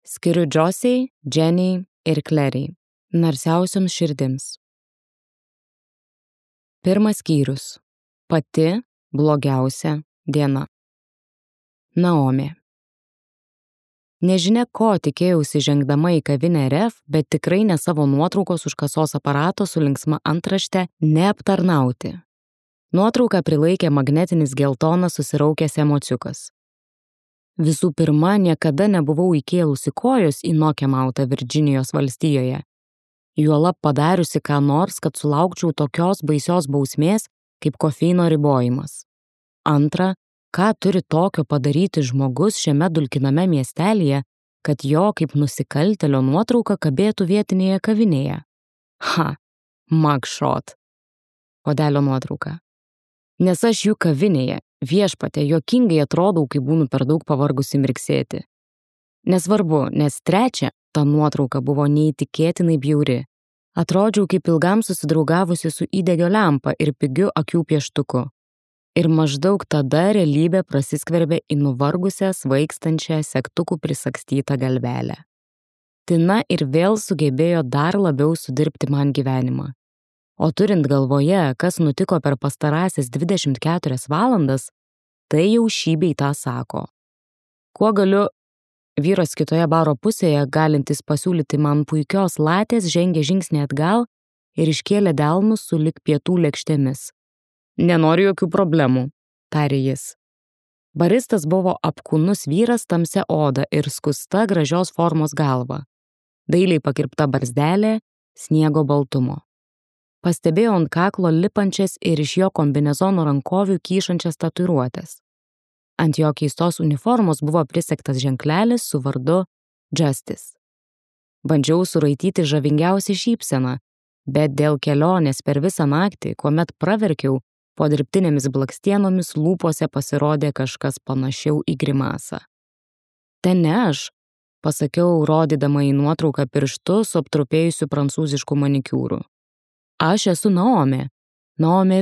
Skiriu Josiai, Jenny ir Clary, narsiausioms širdims. Pirmas skyrius. Pati blogiausia diena. Naomė. Nežinia, ko tikėjausi žengdama į kavinę REF, bet tikrai ne savo nuotraukos už kasos aparato su linksma antrašte neaptarnauti. Nuotrauką prilaikė magnetinis geltonas susiraukęs emociukas. Visų pirma, niekada nebuvau įkėlusi kojos į Nokiamautą Virdžinijos valstijoje. Juolab padariusi ką nors, kad sulaukčiau tokios baisios bausmės, kaip kofeino ribojimas. Antra, ką turi tokio padaryti žmogus šiame dulkiname miestelyje, kad jo kaip nusikaltėlio nuotrauka kabėtų vietinėje kavinėje? Mugshot. Puodelio nuotrauka. Nes aš jų kavinėje, viešpatė, juokingai atrodau, kai būnu per daug pavargusi mirksėti. Nesvarbu, nes trečia, ta nuotrauka buvo neįtikėtinai bjauri. Atrodžiau kaip ilgam susidraugavusi su įdegio lempa ir pigiu akių pieštuku. Ir maždaug tada realybė prasiskverbė į nuvargusią, svaigstančią, segtukų prisagstytą galvelę. Tina ir vėl sugebėjo dar labiau sudirbti man gyvenimą. O turint galvoje, kas nutiko per pastarąsias 24 valandas, tai jau šį bei tą sako. Kuo galiu, vyras kitoje baro pusėje, galintis pasiūlyti man puikios latės, žengė žingsnį atgal ir iškėlė delnus sulig pietų lėkštėmis. Nenoriu jokių problemų, tarė jis. Baristas buvo apkūnus vyras tamsia oda ir skusta gražios formos galva. Dailiai pakirpta barzdelė, sniego baltumo. Pastebėjau ant kaklo lipančias ir iš jo kombinezono rankovių kyšančias tatuiruotės. Ant jo keistos uniformos buvo prisegtas ženklelis su vardu Justice. Bandžiau suraityti žavingiausią šypseną, bet dėl kelionės per visą naktį, kuomet praverkiau, po dirbtinėmis blakstienomis lūpose pasirodė kažkas panašiau į grimasą. Ten ne aš, pasakiau, rodydama į nuotrauką pirštu su aptrupėjusiu prancūzišku manikiūru. Aš esu Naomė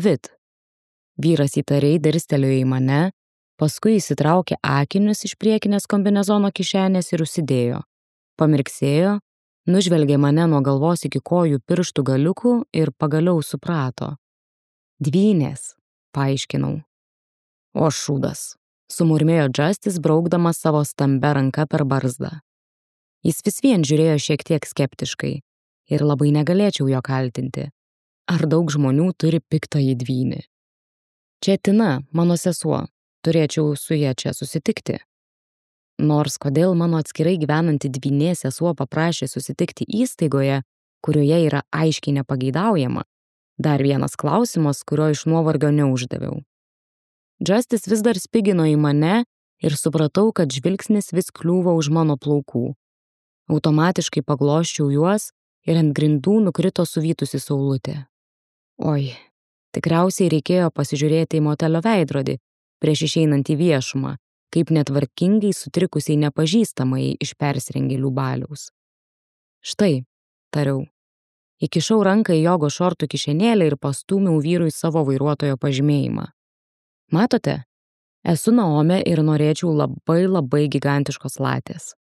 Witt. Vyras įtariai dirstelėjo į mane, paskui įsitraukė akinius iš priekinės kombinezono kišenės ir užsidėjo. Pamirksėjo, nužvelgė mane nuo galvos iki kojų pirštų galiukų ir pagaliau suprato. Dvynės, paaiškinau. O šūdas, sumurmėjo Justice, braukdamas savo stambia ranka per barzdą. Jis vis vien žiūrėjo šiek tiek skeptiškai ir labai negalėčiau jo kaltinti. Ar daug žmonių turi piktąjį dvynį? Čia Tina, mano sesuo, turėčiau su ja čia susitikti. Nors kodėl mano atskirai gyvenanti dvynė sesuo paprašė susitikti įstaigoje, kurioje yra aiškiai nepageidaujama, dar vienas klausimas, kurio iš nuovargio neuždaviau. Justice vis dar spigino į mane ir supratau, kad žvilgsnis vis kliūva už mano plaukų. Automatiškai paglosčiau juos ir ant grindų nukrito suvytusi saulutė. Oi, tikriausiai reikėjo pasižiūrėti į motelio veidrodį prieš išeinant į viešumą, kaip netvarkingai sutrikusiai nepažįstamai iš persirengėlių baliaus. Štai, tariau. Įkišau ranką į jogo šortų kišenėlę ir pastūmiau vyrui savo vairuotojo pažymėjimą. Matote, esu Naomė ir norėčiau labai gigantiškos latės.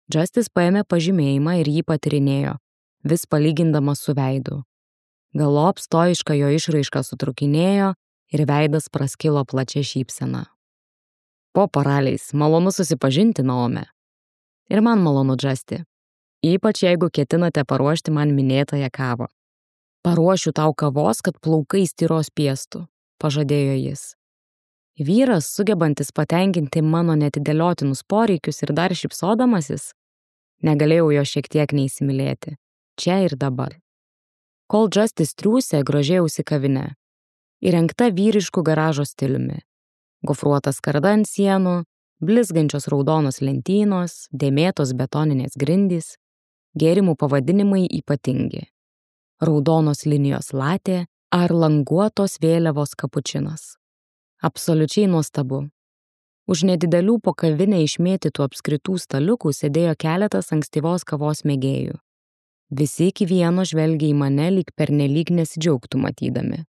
Justice paėmė pažymėjimą ir jį patyrinėjo, vis palygindamas su veidu. Galop stoiška jo išraiška sutrukinėjo ir veidas praskilo plačia šypsena. Po paraliais, malonu susipažinti, Naomė. Ir man malonu, Justy. Ypač jeigu ketinate paruošti man minėtąją kavą. Paruošiu tau kavos, kad plaukai styros piestų, pažadėjo jis. Vyras, sugebantis patenkinti mano netidėliotinus poreikius ir dar šypsodamasis, negalėjau jo šiek tiek neįsimylėti, čia ir dabar. Kol Justice triūsė, grožėjausi kavinę. Įrengta vyriškų garažo stiliumi. Gofruotas skarda ant sienų, blizgančios raudonos lentynos, dėmėtos betoninės grindys, gėrimų pavadinimai ypatingi. Raudonos linijos latė ar languotos vėliavos kapučinas. Absoliučiai nuostabu. Už nedidelių po kavinę išmėtytų apskritų staliukų sėdėjo keletas ankstyvos kavos mėgėjų. Visi iki vieno žvelgė į mane lyg pernelyg nesidžiaugtų matydami.